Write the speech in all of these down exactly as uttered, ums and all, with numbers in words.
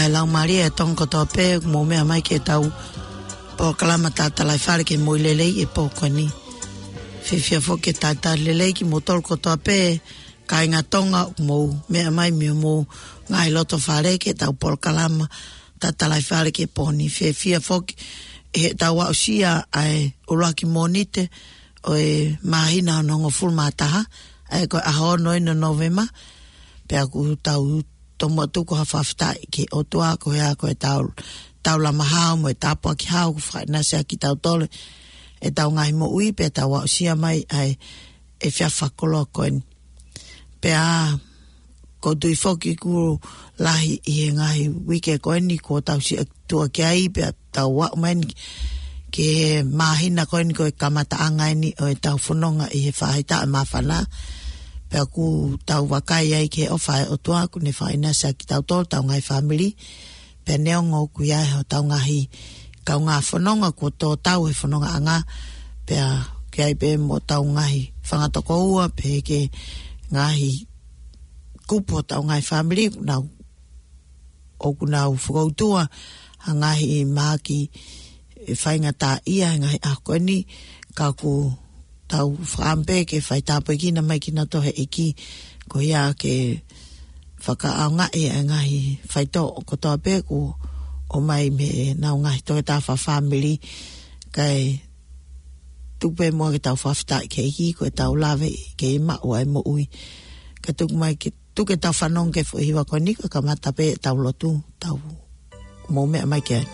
ʻE lau mālie ʻa Tonga kotoa pē, ʻoku mou meʻa mai ki heʻetau polokalama Tatalaifale ki he Moʻui Lelei ʻi he pō ko eni. Fiefia foki ke talitali lelei kimoutolu kotoa pē, kāinga Tonga, ʻoku mou meʻa mai mei homou ngaahi loto fale ki heʻetau polokalama Tatalaifale ki he pō ni. Fiefia foki ʻi heʻetau aʻusia ʻa e ʻuluaki Mōnite ʻo e māhina hono hongofulu mā taha, ʻa ia ko e ʻaho ono ʻeni ʻo Nōvema, pea ʻoku tau tomuʻa tuku ha fakafetaʻi ki he ʻOtua koeʻuhi ko e tau, tau lama hao mo e tāpuaki hao kuo fakaʻinasi ʻaki kitautolu ʻetau ngaahi moʻui pea tau aʻusia mai ʻa e, ʻa e efiafi fakakoloa ko eni. Pea ʻoku ou tui foki kuo lahi ʻi he ngaahi uike ko eni kuo tau sio tuʻa ki ai pea tau aʻu mai eni ki he māhina ko eni ko e kamataʻanga ʻeni ʻo ʻetau fononga ʻi he faʻahitaʻu ʻe māfana. Pea ʻoku tau vakai ai ki he ʻofa ʻa e ʻOtua kuo ne fakaʻinasi ʻaki kitautolu, ʻetau ngaahi fāmili. Pea neongo ʻoku ʻi ai hotau ngaahi kaungā fononga kuo tō tau he fonongaʻanga, pea ʻoku ʻi ai pē mo hotau ngaahi fanga tokoua, pea ki he ngaahi kupu hotau ngaahi fāmili, ʻoku nau ʻoku nau fakautua ha ngaahi mahaki ʻe faingataʻaʻia he ngaahi ʻaho ko eni, ka ʻoku tau fakaʻamu pē ke faitāpuekina mai kinautolu ʻe he ʻEiki, koeʻuhi ke fakaʻaongaʻi ʻa e ngaahi faitoʻo kotoa pē kuo ʻomai mei heʻenau ngaahi toketā fakafāmili, kae tuku pē muʻa ke tau fakafetaʻi ki he ʻEiki ko ʻetau lave ke maʻu ʻa e moʻui. Kae tuku mai ke tuku ke tau fanongo ki he foʻi hiva ko eni kae kamata pē ʻetau lotu, tau mou meʻa mai ki ai.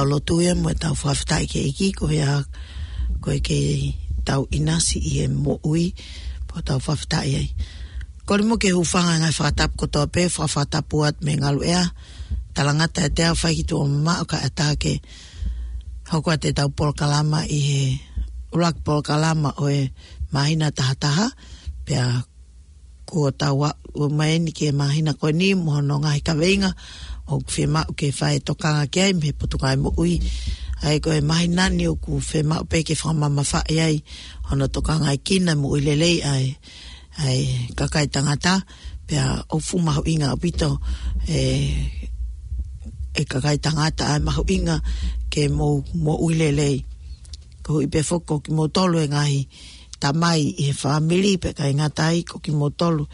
lotu ia mo ʻetau fakafetaʻi ki he ʻEiki, ko ia ko e kei tau ʻinasi ʻi he moʻui, pea tau fakafetaʻi ai. Kole mo ke hūfanga he ngaahi fakatapu kotoa pē, fakafakatapu atu mei he ngaluʻea, talangata ʻiate au, fai ki tuʻa mamaʻo kae ʻatā ke hoko atu ʻetau polokalama ʻi he ʻuluaki polokalama ʻo e māhina tahataha, pea kuo tau aʻu mai eni ki he māhina ko eni mo hono ngaahi kaveinga ʻoku fiemaʻu ke fai e tokanga ki ai mei he Potungāue Moʻui. ʻA ia ko e māhina ni ʻoku fiemaʻu pē ke fakamamafaʻi ai hono tokangaekina e moʻui lelei ʻa e, ʻa e kakai tangata, pea ʻoku fuʻu mahuʻinga ʻaupito e, e kakai tangata ʻa e mahuʻinga ke mou moʻui lelei. Koeʻuhi pē foki ko kimoutolu e ngaahi tamai ʻi he fāmili, pea ʻikai ngata ai ko kimoutolu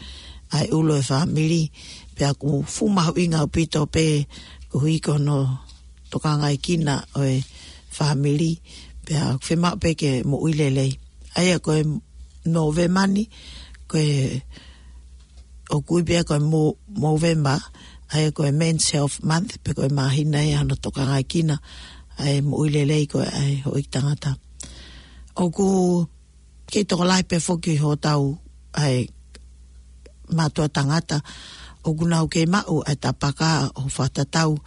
ʻa e ʻulu e fāmili, pea ʻoku fuʻu mahuʻinga ʻaupito pē koeʻuhi ko hono tokangaekina ʻo e fāmili, pea ʻoku fiemaʻu pē ke moʻui lelei. ʻA ia ko e Nōvema ni, ko e ʻoku ui pē ia ko e Mo-, Movember, ʻa ia ko e Men's Health Month, pe ko e māhina ia hono tokangaekina ʻa e moʻui lelei ko ē ʻa e houʻeiki tangata. ʻOku kei tokolahi pē foki hotau ʻa e mātuʻa tangata ʻoku nau kei maʻu ʻa e tapaka ʻo fakatatau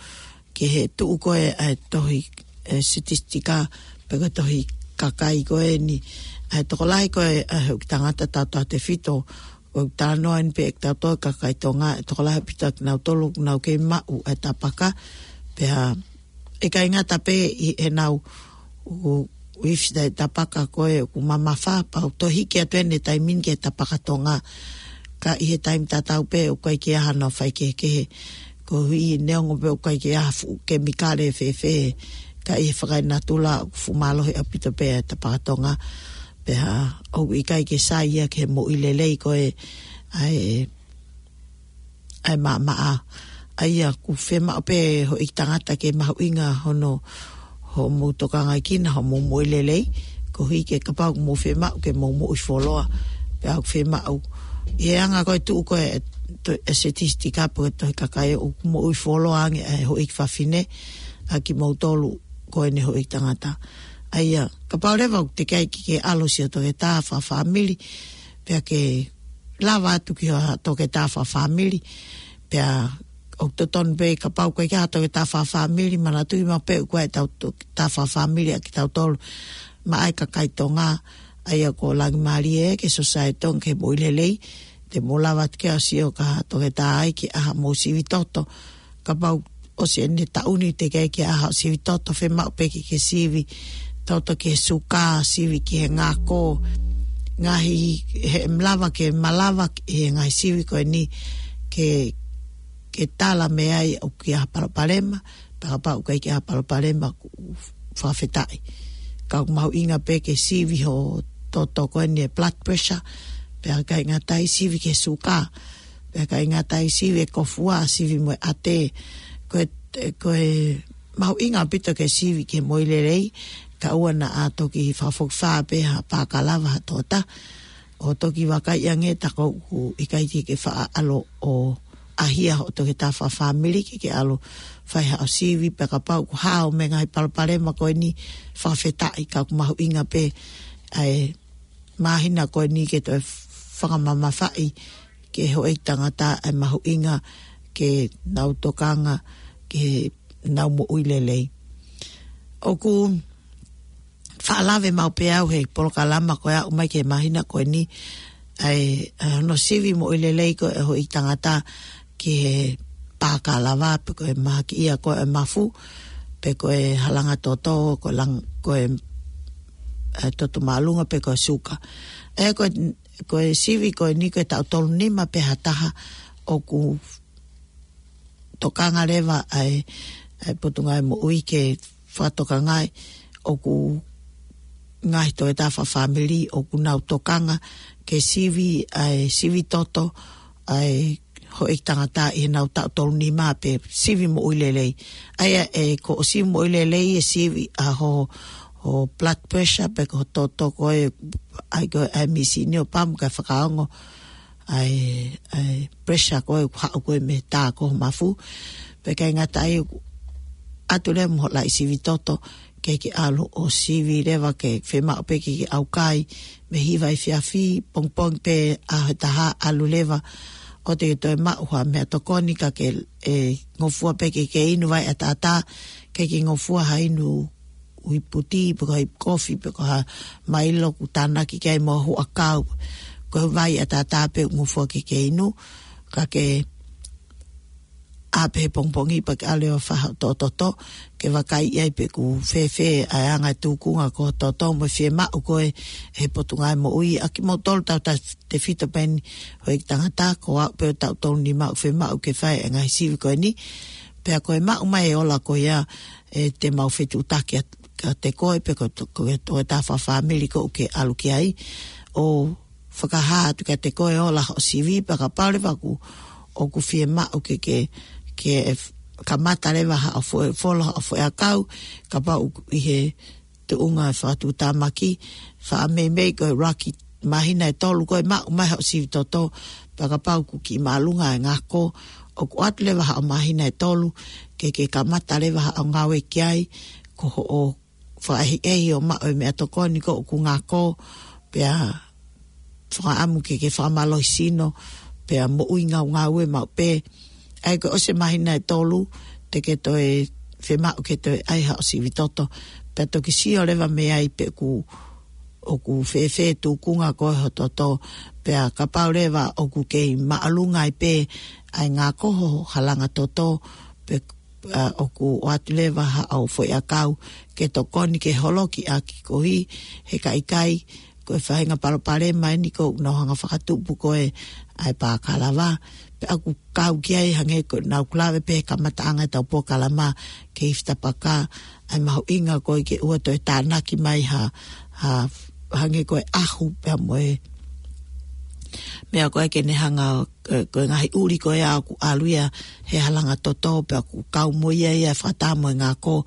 ki he tuʻu ko ē ʻa e tohi, e, sitistika, pe ko e tohi kakai ko eni. ʻA e tokolahi ko ē ʻa e houʻeiki tangata tautautefito, ʻoku talanoa eni pē ʻe kitautolu kakai Tonga, ʻe tokolahi ʻaupito kinautolu ʻoku nau kei maʻu ʻa e tapaka, pea ʻikai ngata pē ʻi heʻenau ʻuifi ʻa e tapaka ko ē ʻoku mamafa, pea ʻoku toe hiki atu eni e taimi ni ki he tapaka Tonga. Ka ʻi he taimi tatau pē ʻoku ʻikai ke ʻi ai hano faikehekehe. Koeʻuhi neongo pē ʻoku ʻikai ke ʻi ai ha fuʻu kemikale fēfē, ka ʻi he fakaenatula ʻoku fuʻu mālohi ʻaupito pē ʻa e tapaka Tonga. Pea ʻoku ʻikai ke sai ia ki he moʻui lelei ko ē ʻa e, ʻa e maʻamaʻa. ʻA ia ʻoku fiemaʻu pē houʻeiki tangata ke mahuʻinga hono, hoʻomou tokangaekina hoʻomou moʻui lelei, koeʻuhi ke kapau ʻoku mou fiemaʻu ke mou moʻui fuoloa, pea ʻoku fiemaʻu, ʻi he anga ko e tuʻu ko ē e to-, e sitistika pe ko e tohi kakai, ʻoku moʻui fuoloa ange ʻa e houʻeiki fafine ʻa kimoutolu ko eni houʻeiki tangata. ʻA ia, kapau leva ʻoku teʻeki ai ke ke ʻalu ʻo sio toketā fakafāmili, pea ke lava atu ki ha toketā fakafāmili, pea ʻoku totonu pē kapau ʻoku ʻikai ke ʻi ai ha toketā fakafāmili, manatuʻi maʻu pē ʻoku ʻi ai ʻetau toketā fakafāmili ʻa kitautolu maʻa e kakai Tonga, ʻa ia ko Langimālie ē, ki he Sōsaieti Tonga ki he Moʻui Lelei, te mou lava atu ke ʻalu ʻo sio ki ha toketā ai ke ʻai haʻamou sivi toto, kapau ʻosi eni e taʻu ni teʻeki ai ke ʻai haʻo sivi toto, fiemaʻu pē ke ke sivi toto ki he suka, sivi ki he ngako, ngaahi, he malava ke malava ʻi he ngaahi sivi ko eni ke, ke tala mei ai ʻoku ʻi ai ha palopalema, pea kapau ʻoku ʻikai ke ʻi ai ha palopalema ʻoku fakafetaʻi. Ka ʻoku mahuʻinga pē ke sivi hoʻo toto ko eni e blood pressure, pea ʻikai ngata ai sivi ki he suka, pea ʻikai ngata ai sivi e kofua, sivi mo e ʻate. Ko e, ko e mahuʻinga ʻaupito ke sivi ki he moʻui lelei, kae ʻoua naʻa toki fakafokifā pē ha pakalava ha tota. ʻO toki vakai ange tā ʻoku ʻikai ke ke faʻa ʻalu ʻo ʻai ha toketā fakafāmili ke ke ʻalu ʻo fai haʻo sivi, pea kapau ʻoku hao mei he ngaahi palopalema ko eni, fakafetaʻi, ka ʻoku mahuʻinga pē ʻa e māhina ko eni ke toe fakamamafaʻi ki he houʻeiki tangata ʻa e mahuʻinga ke nau tokanga ki heʻenau moʻui lelei. ʻOku faʻa lave maʻu pē au he polokalama ko ē ʻo aʻu mai ki he māhina ko eni, ʻa e, ʻa hono sivi moʻui lelei ko ē ʻa e houʻeiki tangata ki he pakalava, pe ko e mahakiʻia ko ē ʻa e mafu, pe ko e halanga toto, ko e lang-, ko e, ʻa e toto māʻolunga, pe ko e suka. ʻE, ko e, ko e sivi ko eni ko e taʻu tolu nima pē ha taha ʻoku tokanga leva ʻa e, ʻa e Potungāue Moʻui ke fakatokangaʻi ʻoku ngaahi toketā fakafāmili ʻoku nau tokanga ke sivi ʻa e sivi toto ʻa e houʻeiki tangata ʻi heʻenau taʻu tolu nima pe sivi moʻui lelei. ʻA ia ʻe ko hoʻo sivi moʻui lelei e sivi ʻa hoʻo, hoʻo blood pressure pe ko hoʻo toto ko ē, ʻai ko ē ʻa e mīsini ʻo pam kae fakaongo ʻa e, ʻa e pressure ko ē ʻoku haʻu ko ē mei he tā ko ē ʻo e mafu. Pea ʻikai ngata ai, ʻatu leva mo hoʻo laʻi sivi toto, ke ke ʻalu ʻo sivi leva ke fiemaʻu pē ke ke ʻaukai, mei he hiva efiafi, pongipongi pē ʻaho ʻe taha ʻalu leva, ʻo te ke toe maʻu ha meʻatokoni ka ke, ʻe, ngofua pē ke ke inu vai ʻataʻatā, ke ke ngofua ha inu ui puti, pe ko ha ʻi kofi, pe ko ha Mailo ʻoku tānaki ki ai mo ha huʻakau, ko e vai ʻataʻatā pē ʻoku ngofua ke ke inu, ka ke ʻā pē he pongipongi pea ke ʻalu ʻo fai haʻo toto, ke vakai ai pē ʻoku fēfē ʻa e anga e tūkunga ko hoʻo toto mo e fiemaʻu ko ē ʻe he Potungāue Moʻui. ʻA kimoutolu tautautefito pē eni houʻeiki tangata, ko au pē ʻoku tau tonu ni maʻu fiemaʻu ke fai e ngaahi sivi ko eni. Pea ko e maʻu mai e ola ko ia ʻe te mau fetuʻutaki atu kiate koe pe ko, ko, ko e tā fakafāmili ʻoku ke ʻalu ki ai. ʻO fakahā atu kiate koe e ola hoʻo sivi pea kapau leva ʻoku, ʻoku fiemaʻu ke, ke, ke kamata leva haʻo foʻi, fola haʻo foʻi ʻakau, kapau ʻoku ʻi he tuʻunga e fakatuʻutāmaki, faʻa meimei ko e ʻuluaki māhina ʻe tolu ko e maʻu mai hoʻo sivi toto, pea kapau ʻoku kiʻi māʻolunga e ngako, ʻoku ʻoatu leva haʻo māhina ʻe tolu, ke, ke kamata leva haʻo ngāue ki ai, ko hoʻo fakaʻehiʻehi ʻo maʻu e meʻatokoni ko ʻoku ngako, pea fakaʻamu ke, ke fakamālohisino, pea moʻui ngaungaue maʻu pē. ʻA ia ko e ʻosi e māhina ʻe tolu, te ke toe fiemaʻu ke toe ʻai haʻo sivi toto. Pea toki sio leva mei ai pē ʻoku, ʻoku fēfē tūkunga ko ē hoʻo toto, pea kapau leva ʻoku kei māʻolunga ai pē ʻa e ngako hoʻo halanga toto, pe ʻa, ʻoku ʻoatu leva haʻo foʻi ʻakau ke tokoni ke holoki ʻaki koeʻuhi he ka ʻikai, ko e faʻahinga palopalema eni ʻoku nau hanga fakatupu ko ē ʻa e pā kalava. Pea ʻoku kau ki ai hangē ko ʻenau ʻoku lave pē he kamataʻanga ʻetau polokalama ki he ifi tapaka, ʻa e mahuʻinga ko ē ke ʻoua toe tānaki mai ha, ha, hangē ko e ʻahu pea mo e meʻa ko ē ke ne hanga ko e, ko e ngaahi ʻuli ko ē ʻoku ʻalu ia he halanga toto, pea ʻoku kau mo ia ia e fakataha mo e ngako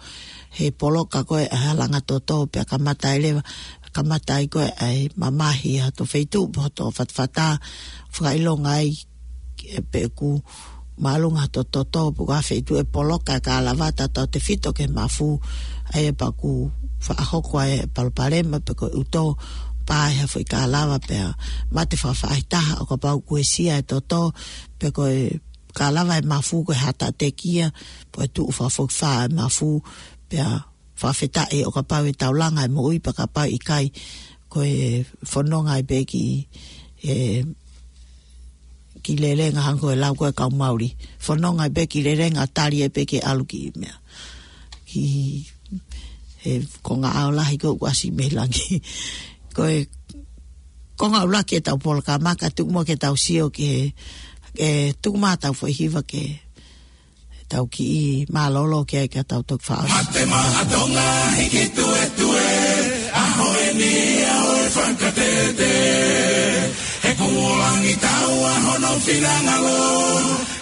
he poloka ko ē ʻa e halanga toto, pea kamata ai leva, kamata ai ko ē ʻa e mamahi ʻa hoto feituʻu, pe hoto fatafata, fakaʻilonga ai, ʻe, pe ʻoku māʻolunga hoto toto, pe ko ha feituʻu ʻe poloka e kalava tautautefito ki he mafu, ʻa ia pea ʻoku faʻa hoko ai e palopalema, pe ko e ʻuto, pā ʻi ha foʻi kalava pea mate fakafaʻahitaha ʻo kapau ʻoku uesia e toto, pe ko e kalava e mafu ko e hatatekia, pe ko e tuʻu fakafokifā e mafu, pea fakafetaʻi ʻo kapau ʻe taulanga e moʻui pea kapau ʻe ʻikai, ko e fononga ai pē ki, ʻe, ki lelenga hangē ko e lau ko ē ʻa e kau Mauli. Fononga ai pē ki lelenga, tali ai pē ke ʻalu ki meʻa. Ki he konga ʻao lahi ko ē ʻoku ʻasi mei langi. Ko e konga ʻuluaki ʻetau polokalama ka tuku muʻa ke tau sio ki he, ʻe, tuku mai ʻetau foʻi hiva ke tau kiʻi mālōlō ki ai ka tau toki faʻa. Mate Maʻa Tonga hiki tuetue, ʻaho eni ʻaho e fakatete. He kuo langi taua hono finangalo,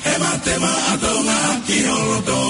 he Mate Maʻa Tonga ki ho loto.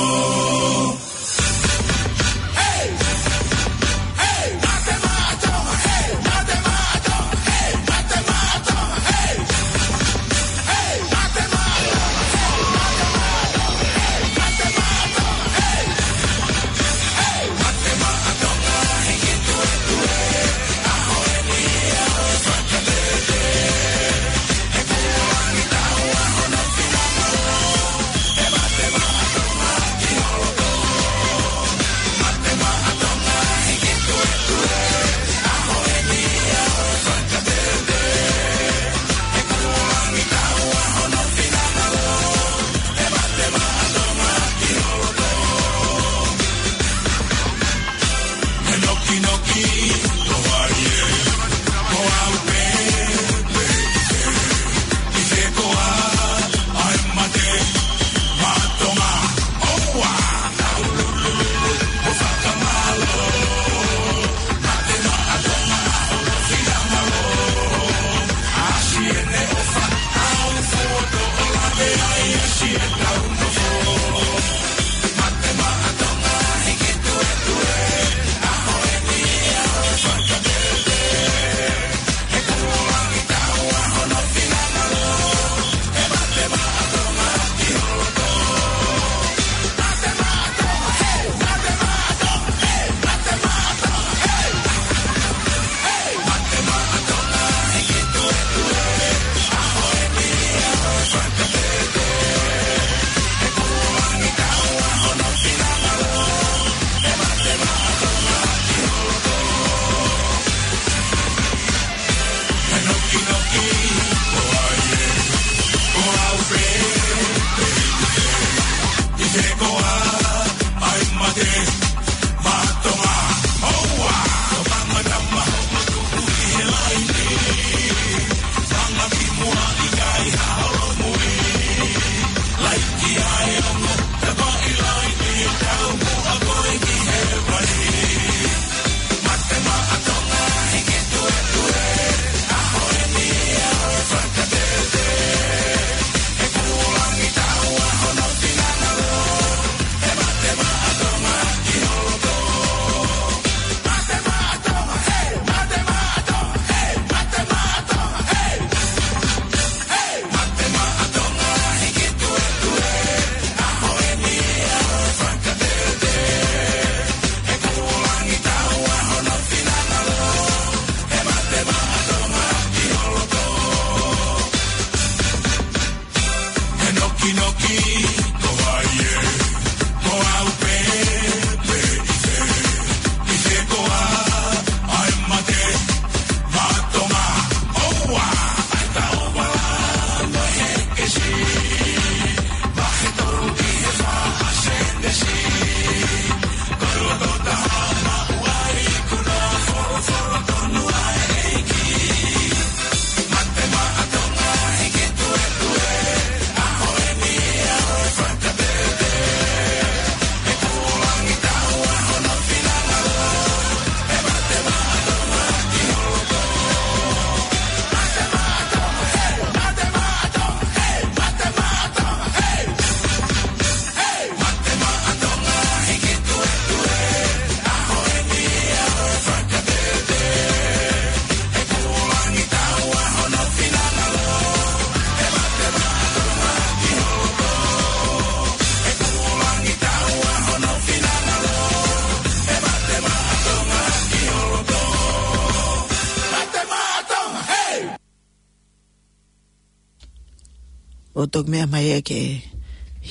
ʻO toki meʻa mai ē ki he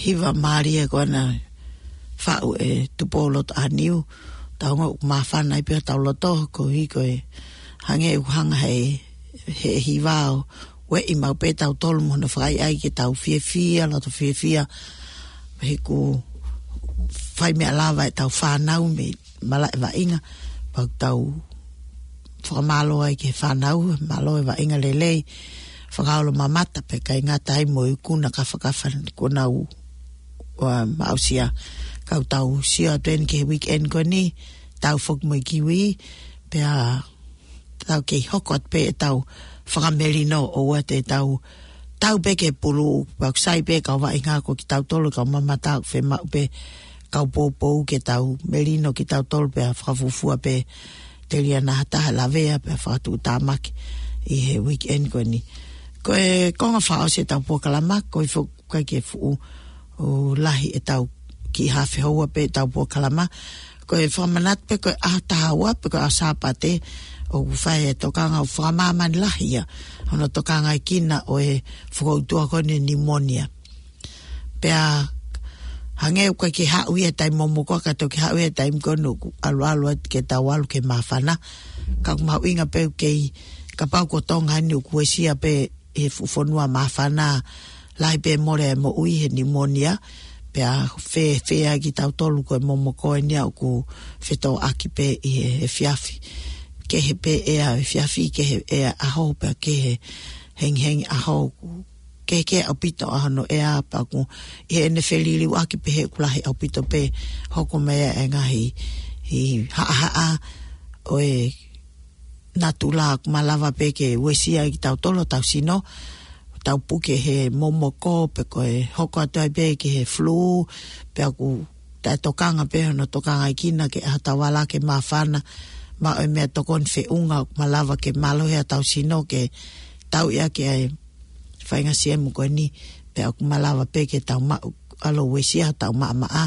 hiva mālie ko ena faʻu ʻe Tupou Lotoʻāniu, tau ongoʻi ʻoku māfana ai pē hotau loto, koeʻuhi ko e hangē ʻoku hanga he, he hiva ʻo ueʻi maʻu pē tautolu mo hono fakaʻaiʻai ke tau fiefia, loto fiefia, he ʻoku fai meʻa lava ʻetau fānau mei malaʻe vaʻinga, pea ʻoku tau fakamālō ai ki he fānau, mālō e vaʻinga lelei, fakaolo mamata pea ʻikai ngata ai mo e ikuna kafakafa kuo nau, ua, maʻusia. Ka ʻoku tau sio atu eni ki he weekend ko eni, tau foki mo e kiwi, pea tau kei hoko atu pē ʻetau fakamelino ʻoua te tau tau pē ki he pulu, pea ʻoku sai pē kau vaʻinga ko kitautolu kau mamata ʻoku fiemaʻu pē kau poupou ke tau melino kitautolu pea fakafuofua pē telia naʻa ha taha lavea pea fakatuʻutāmaki ʻi he weekend ko eni. Ko e konga fakaʻosi ʻetau polokalama, koeʻuhi foki ʻoku ʻikai ke fuʻu ʻo lahi ʻetau kiʻi hafe houa pē ʻetau polokalama. Ko e fakamanatu pē ko e ʻaho taha ua pē ko e ʻaho Sāpate ʻoku fai e tokanga ʻoku fakamāmani lahi ia hono tokangaʻi kina ʻo e fokoutua ko eni e pneumonia. Pea hangē ʻoku ʻikai ke haʻu ia he taimi momoko ka toki haʻu ia he taimi ko eni ʻoku ʻaluʻalu atu ke tau ʻalu ke māfana. Ka ʻoku mahuʻinga pē ʻoku kei, kapau ko Tonga eni ʻoku uesia pē he fuʻu fonua māfana lahi pē mole e moʻui he pneumonia, pea fēfē ai kitautolu ko e momoko eni ia ʻoku fetōʻaki pē ʻi he, he efiafi. Kehe pē ʻea efiafi, kehe ʻea ʻaho, pea kehe hengihengi ʻaho, kehekehe ʻaupito ʻa hono ʻea pea ʻoku ʻi heʻene feliliuaki pē he ʻoku lahi ʻaupito pē hoko mai ʻa e ngaahi, ʻi haʻahaʻa ʻo e natula ʻoku malava pē ke uesia ai kitautolu hotau sino, tau puke he momoko pe ko e hoko atu ai pē ki he flu, pea ʻoku taʻetokanga pē hono tokangaʻi kina ke ʻai hotau vala ke māfana, maʻu e meʻatokoni feʻunga ʻoku malava ke mālohi hotau sino ke tauʻi ʻaki ʻa e faʻahinga siemu ko eni, pea ʻoku malava pē ke tau maʻu ʻalu uesia hotau maʻamaʻa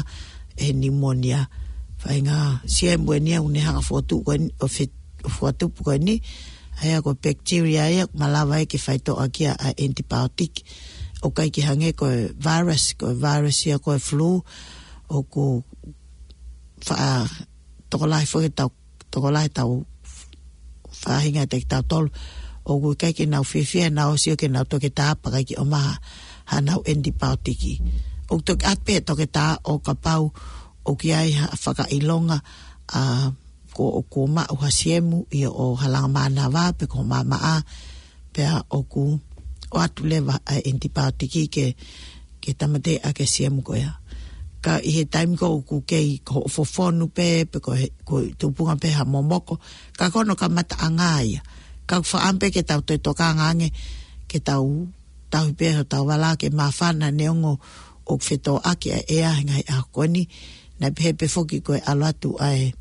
he pneumonia. Faʻahinga siemu eni ia ʻoku ne hanga ʻo fokotuʻu ko eni, ʻo fe-, ʻo fokotuʻu ko eni, ʻa ia ko e bacteria ia ʻoku malava ai ke faitoʻo ʻaki ʻa e antibiotic. ʻOku ʻikai ke hangē ko e virus, ko e virus ia ko e flu, ʻoku faʻa tokolahi foki ʻetau, tokolahi ʻetau faʻahinga ʻiate kitautolu, ʻoku ʻikai ke nau fiefia, nau sio ki heʻenau toketā pea ʻikai ke ʻomai haʻanau antibiotic. ʻOku toki ʻatu pē ʻe he toketā ʻo kapau ʻoku ʻi ai ha fakaʻilonga, ʻa, ko, ʻoku maʻu ha siemu ʻi hoʻo halanga mānava pe ko ho maʻamaʻa, pea ʻoku ʻoatu leva ʻa e antibiotic ke, ke tāmateʻi ʻaki e siemu ko ia. Ka ʻi he taimi ko ē ʻoku kei ko hoʻo fofonu pē, pe ko e, ko e tupunga pē ha momoko, ka ko hono kamataʻanga ia. Ka ʻoku fakaʻamu pē ke tau toe tokanga ange, ke tau tauhi pē hotau vala ke māfana neongo ʻoku fetōʻaki ʻa e ʻea he ngaahi ʻaho ko eni, naʻe pehē pē foki ko e ʻalu atu ʻa e,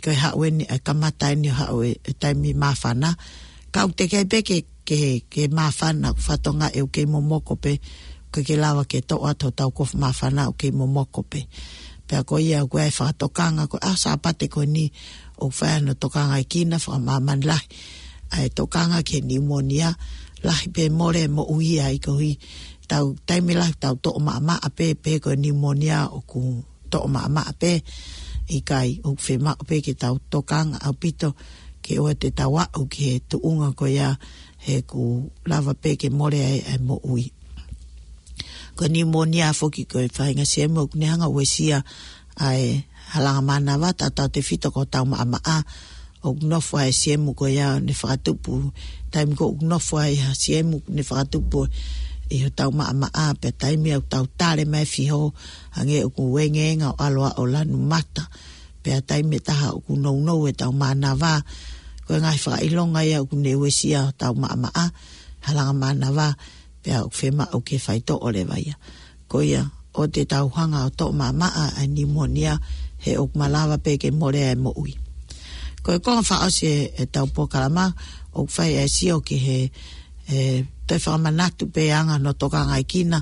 ko e haʻu eni ʻa e kamata eni ʻo haʻu e, e taimi māfana. Ka ʻoku teʻeki ai pē ke, ke, ke māfana, ʻoku fatongia ʻoku kei momoko pē, ʻoku ʻikai ke lava ke toʻo atu hotau kofu māfana ʻoku kei momoko pē. Pea ko ia ʻoku ʻi ai e fakatokanga ko e ʻaho Sāpate ko eni ʻoku fai ai hono tokangaʻi kina, fakamāmani lahi ʻa e tokanga ki he pneumonia, lahi pē mole e moʻui ai koeʻuhi tau taimi lahi tau toʻo maʻamaʻa pē, pē ko e pneumonia ʻoku toʻo maʻamaʻa pē, ʻikai, ʻoku fiemaʻu pē ke tau tokanga ʻaupito ke ʻoua te tau aʻu ki he tuʻunga ko ia he ʻoku lava pē ke mole ai ʻa e moʻui. Ko e pneumonia foki ko e faʻahinga siemu ʻoku ne hanga ʻo uesia ʻa e halanga mānava, tautautefito ko hotau maʻamaʻa, ʻoku nofo ai e siemu ko ia ʻo ne fakatupu, taimi ko ē ʻoku nofo ai ha siemu ʻoku ne fakatupu ʻi hotau maʻamaʻa, pea taimi ʻoku tau tale mai fiho, hangē ʻoku uengenga ʻo ʻalu ʻo lanu mata, pea taimi ʻe taha ʻoku nounou ʻetau mānava, ko e ngaahi fakaʻilonga ia ʻoku ne uesia hotau maʻamaʻa, halanga mānava, pea ʻoku fiemaʻu ke faitoʻo leva ia. Ko ia, ʻoua te tau hanga ʻo toʻo maʻamaʻa ʻa e pneumonia he ʻoku malava pē ke mole ʻa e moʻui. Ko e konga fakaʻosi e, ʻetau polokalama, ʻoku fai e sio ki he, e, toe fakamanatu pē anga hono tokangaʻi kina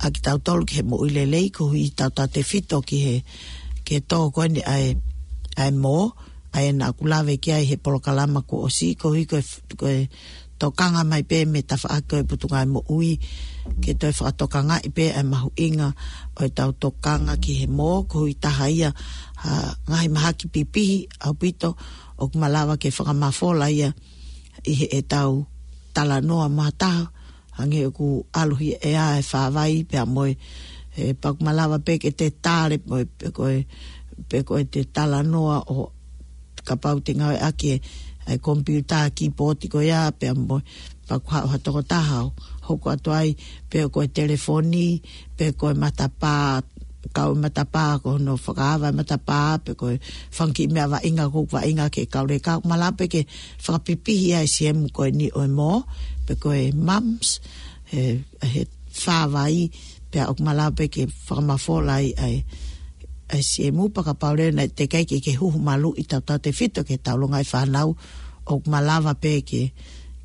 ʻa kitautolu ki he moʻui lelei, koeʻuhi tautautefito ki he, ki he tō ko eni ʻa e, ʻa e mō, ʻa ia naʻa ku lave ki ai he polokalama kuo ʻosi, koeʻuhi ko e f-, ko e tokanga mai pē mei he tafaʻaki ʻo e Potungāue Moʻui, ke toe fakatokangaʻi pē ʻa e mahuʻinga ʻo ʻetau tokanga ki he mō, koeʻuhi taha ia ha ngaahi mahaki pipihi ʻaupito ʻoku malava ke fakamafola ia ʻi heʻetau talanoa mo ha taha, hangē ʻoku ʻalu hifo ʻa e fāvai pea mo e, ē, pea ʻoku malava pē ke te tale mo e, pe ko e, pe ko e te talanoa ʻo kapau te ngāueʻaki e, e komipiuta, kīpooti ko ia, pea mo e, pea ʻoku haʻu ha tokotaha ʻo hoko atu ai, pe ko e telefoni, pe ko e matapā, kau matapā ko hono fakaava e matapā, pe ko e fanga kiʻi meʻa vaʻinga ʻoku vaʻinga ke kau leka, ʻoku malava pē ke fakapipihi ʻa e siemu ko eni ʻo e mō, pe ko e mumps, he, he fāvai, pea ʻoku malava pē ke fakamafola ai ʻa e, ʻa e siemu, pea kapau leva naʻe teʻeki ai ke, ke huhu maluʻi tautautefito ki he taulonga ʻa e fānau, ʻoku malava pē ke,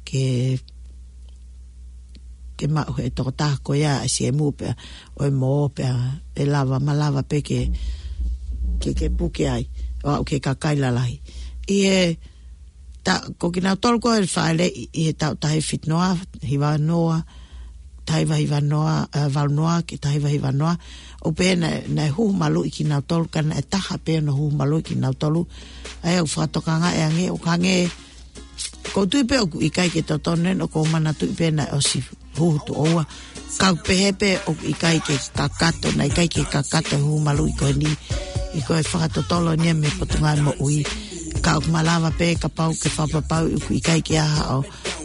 ke, ke maʻu ʻe he tokotaha ko ia ʻa e siemu pea ʻo e mō, pea ʻe lava, malava pē ke, ke, ke puke ai ʻo aʻu ki he kakai lalahi. ʻI he ta-, ko kinautolu ko ē fāʻeleʻi ʻi he taʻu taha hiva fitu noa, hiva noa, taha hiva hiva noa, ē, valu noa ki he taha hiva hiva noa, ʻoku pehē naʻe, naʻe huhu maluʻi kinautolu, ka naʻe taha pē hono huhu maluʻi kinautolu. ʻA ia ʻoku fakatokangaʻi ange, ʻoku hangē, ʻoku ou tui pē ʻoku ʻikai ke totonu eni, ʻoku ou manatuʻi pē naʻe ʻosi huhu tuʻo ua. Ka ʻoku pehē pē ʻoku ʻikai ke kakato, naʻe ʻikai ke kakato e huhu maluʻi ko eni ʻi ko e fakatotolo eni ia mei he Potungāue Moʻui. Ka ʻoku malava pē kapau ke fakapapauʻi ʻoku ʻikai ke ʻi ai haʻo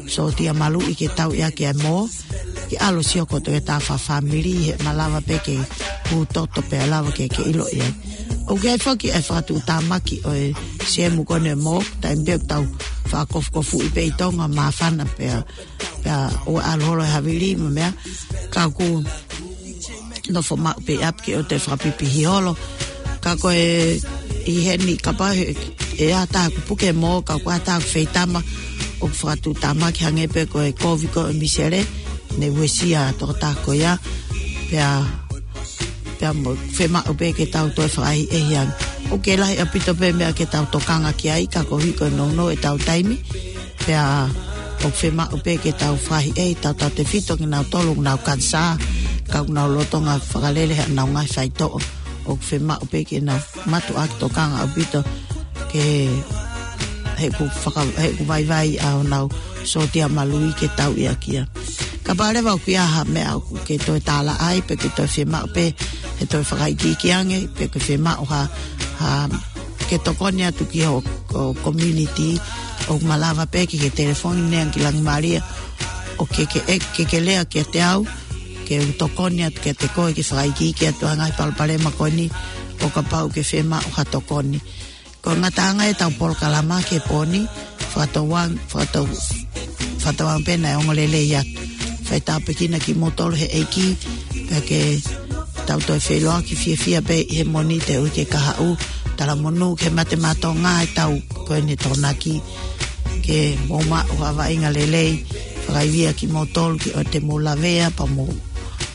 sōtia maluʻi ke tauʻi ʻaki ʻa e mō, ke ʻalu ʻo sio kotoa ki he tafaʻaki fāmili, he malava pē ke huhu toto pea lava ke, ke ʻiloʻi ai. ʻOku ʻi ai foki e fakatuʻutāmaki ʻo e siemu ko eni ʻo e mō, taimi pē ʻoku tau fakakofukofuʻi pē ʻi Tonga, māfana pea, pea ʻoua ʻe ʻalu holo he havili mo e meʻa, ka ʻoku nofo maʻu pē ʻi ʻapi ke ʻoua te fakapipihi holo. Ka ko e ʻi heni kapau he, ʻe ʻi ai ha taha ʻoku puke e mō, ka ʻoku ʻi ai ha taha ʻoku feitama, ʻoku fakatuʻutāmaki, hangē pē ko e kovi ko ē ʻo e misele, naʻe uesia e tokotaha ko ia, pea, pea mo, fiemaʻu pē ke tau toe fakaʻehiʻehi ange. ʻOku lahi ʻaupito pē meʻa ke tau tokanga ki ai, ka koeʻuhi ko e nounou ʻetau taimi, pea ʻoku fiemaʻu pē ke tau fakaʻehiʻehi tautautefito kinautolu ʻoku nau kanisā, ka ʻoku nau lolotonga fakalele haʻanau ngaahi faitoʻo. ʻOku fiemaʻu pē ke nau mātuʻaki tokanga ʻaupito ke, he ʻoku faka-, he ʻoku vaivai ʻa honau sōtia maluʻi ke tauʻi ʻaki ia. Kapau leva ʻoku ʻi ai ha meʻa ʻoku ke toe tālaʻa ai pe ke toe fiemaʻu pē he toe fakaikiiki ange, pe ke fiemaʻu ha, ha ke tokoni atu ki ho, ho community, ʻoku malava pē ke ke telefoni ange ki Langi Malia, ʻo ke ke, ʻe, ke ke lea kiate au, ke u tokoni atu kiate koe ke fakaikiiki atu ʻa e ngaahi palopalema ko eni, ʻo kapau ʻoku ke fiemaʻu ha tokoni. Ko e ngataʻanga ʻetau polokalama ki he pō ni, fakatauange, fakatau-, fakatauange pē naʻe ongo lelei atu. Fai tāpuekina kimoutolu he ʻEiki, pea ke tau toe feʻiloaki fiefia pē ʻi he Mōnite ʻo e uike kahaʻu, talamonū ki he mate maʻa Tonga ʻi he taʻu ko eni ʻe Tokonaki, ke mou maʻu ha vaʻinga lelei, fakaivia kimoutolu ke ʻoua te mou lavea, pea mou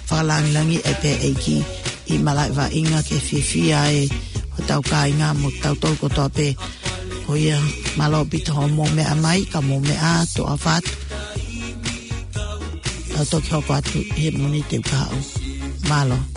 fakalāngilangiʻi pē ʻEiki ʻi he malaʻe vaʻinga ke fiefia ai hotau kāinga mo tautolu kotoa pē. Ko ia, mālō ʻaupito hoʻomou meʻa mai, ka mou meʻa ā, toʻa ʻofa atu. Tau toki hoko atu ʻi he Mōnite ʻoku kahaʻu. Mālō.